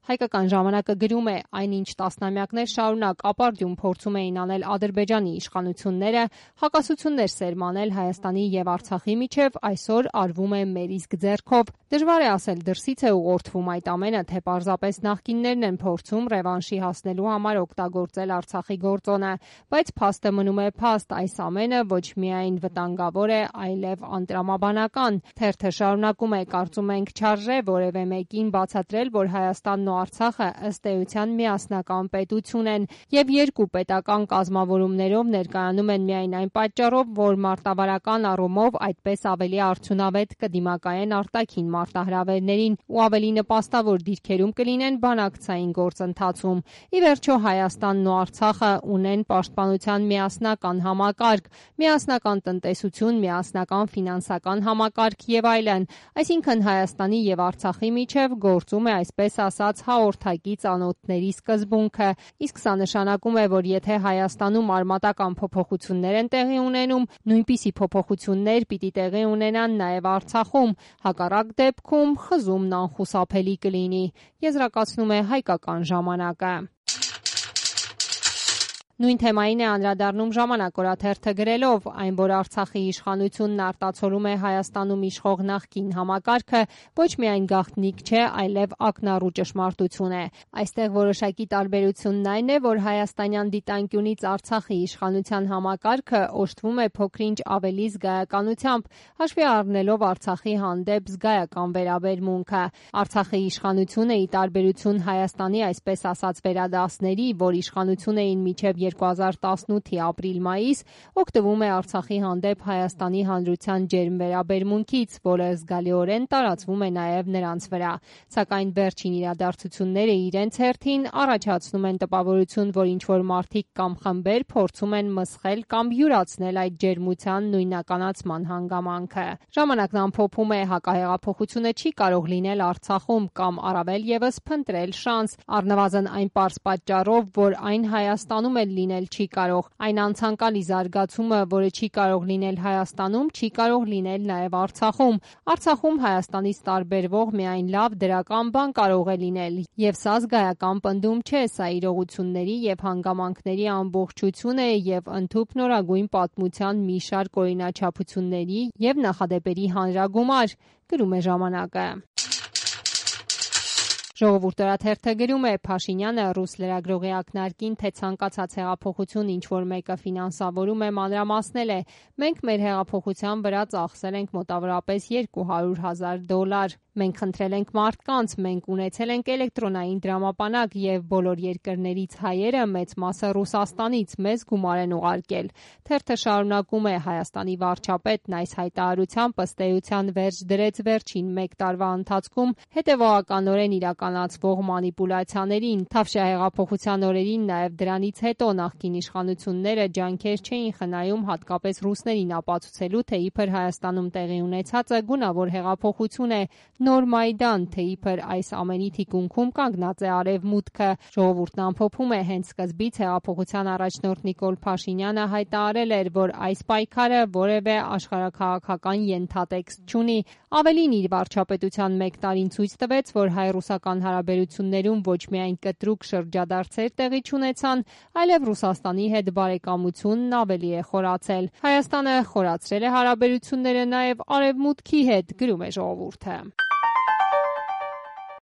Հայկական ժամանակը գրում է, այնինչ տասնամյակներ շարունակ ապարդյուն փորձում էին անել Ադրբեջանի իշխանությունները, հակասություններ սերմանել Հայաստանի եւ Արցախի միջև, այսօր արվում է մեր իսկ ձեռքով։ Դժվար է ասել դրսից է ուղղորդվում այդ ամենը, թե պարզապես նախկիններն են փորձում ռևանշի հասնելու համար օգտագործել Արցախի գործոնը, բայց փաստը մնում է փաստ, այս ամենը ոչ միայն վտանգավոր է, այլև անտրամաբանական։ Թերթը շարունակում է, կարծում ենք չարժե որևէ մեկին բացատրել, որ Հայաստանն ու Արցախը ըստ էության միասնական պետություն են եւ երկու պետական կազմավորումներով ներկայանում են միայն այն պատճառով, որ մարտավարական առումով այդպես ավելի արդյունավետ կդիմակայեն արտաքին մարտահրավերներին ու ավելի նպաստավոր դիրքերում կլինեն բանակցային գործընթացում։ Ի վերջո Հայաստանն ու Արցախը ունեն պաշտպանության միասնական համակարգ, միասնական տնտեսություն, միասնական ֆինանսական համակարգ եւ այլն, այսինքն Հայաստանի եւ Արցախի միջև գործում է այսպես ասած հաղորդակից անոթների սկզբունքը, իսկ սա նշանակում է, որ եթե Հայաստանում արմատական փոփոխություններ են տեղի ունենում, նույնպիսի փոփոխություններ պիտի տեղի ունենան նաեւ Արցախում, հակառակ դեպքում խզումն անխուսափելի կլինի, եզրակացնում է Հայկական ժամանակը։ Նույն թեմային է անդրադառնում Ժամանակ օրաթերթը գրելով, այն, որ Արցախի իշխանությունն արտացոլում է Հայաստանում իշխող նախկին համակարգը, ոչ միայն գաղտնիք չէ, այլև ակնառու ճշմարտություն է։ Այստեղ որոշակի տարբերությունն այն է, որ հայաստանյան դիտանկյունից Արցախի իշխանության համակարգը օժտվում է փոքր-ինչ ավելի զգայականությամբ, հաշվի առնելով Արցախի հանդեպ զգայական վերաբերմունքը։ Արցախի իշխանությունը, ի տարբերություն Հայաստանի այսպես ասած վերադասների, որ իշխանություն էին մինչև 2018-ի ապրիլ-մայիս, օգտվում է Արցախի հանդեպ Հայաստանի Հանրության ջերմ վերաբերմունքից, որը զգալիորեն տարածվում է նաև նրանց վրա։ Սակայն վերջին իրադարձությունները իրենց հերթին առաջացնում են տպավորություն, որ ինչ-որ մարդիկ կամ խմբեր փորձում են մսխել կամ յուրացնել այդ ջերմության նույնականացման հանգամանքը։ Ժամանակն ամփոփում է, հակահեղափոխությունը չի կարող լինել Արցախում կամ առավել ևս փնտրել շանս, առնվազն այն պարզ պատճառով, որ այն Հայաստանում էլ լինել չի կարող։ Այն անցանկալի զարգացումը, որը չի կարող լինել Հայաստանում, չի կարող լինել նաև Արցախում։ Արցախում Հայաստանից տարբերվող միայն լավ դրական բան կարող է լինել, եւ սա զգայական պնդում չէ, սա իրողությունների եւ հանգամանքների ամբողջություն է եւ ընդհուպ նորագույն պատմության մի շարք օրինաչափությունների եւ նախադեպերի հանրագումար, գրում է Ժամանակը։ Ժողովուրդ օրաթերթը գրում է, Փաշինյանը ռուս լրագրողի ակնարկին, թե ցանկացած հեղափոխություն ինչ-որ մեկը ֆինանսավորում է, մանրամասնել է. մենք մեր հեղափոխության վրա ծախսել ենք մոտավորապես $200,000։ Մենք խնդրել ենք մարդկանց, մենք ունեցել ենք էլեկտրոնային դրամապանակ եւ բոլոր երկրներից հայերը, մեծ մասը Ռուսաստանից, մեզ գումար են ուղարկել։ Թերթը շարունակում է, Հայաստանի վարչապետն այս հայտարարությամբ ըստ էության վերջ դրեց վերջին 1 տարվա ընթացքում հետևողականորեն իրականացվող մանիպուլյացիաներին, Թավշյա հեղափոխության օրերին, նաև դրանից հետո նախկին իշխանությունները ջանքեր չէին խնայում հատկապես ռուսներին ապացուցելու, թե իբր Հայաստանում տեղի ունեցածը գունավոր հեղափոխություն է, նոր Մայդան, թե իբր այս ամենի թիկունքում կանգնած է Արևմուտքը։ Ժողովուրդն ամփոփում է, հենց սկզբից հեղափոխության առաջնորդ Նիկոլ Փաշինյանը հայտարարել էր, որ այս պայքարը որևէ աշխարհաքաղաքական ենթատեքստ չունի։ Ավելին, իր վարչապետության 1 տարին ցույց տվեց, որ հայ-ռուսական հարաբերություններում ոչ միայն կտրուկ շրջադարձեր տեղի չունեցան, այլև Ռուսաստանի հետ բարեկամությունն ավելի է խորացել։ Հայաստանը խորացրել է հարաբերությունները նաև Արևմուտքի հետ, գրում է Ժողովուրդը։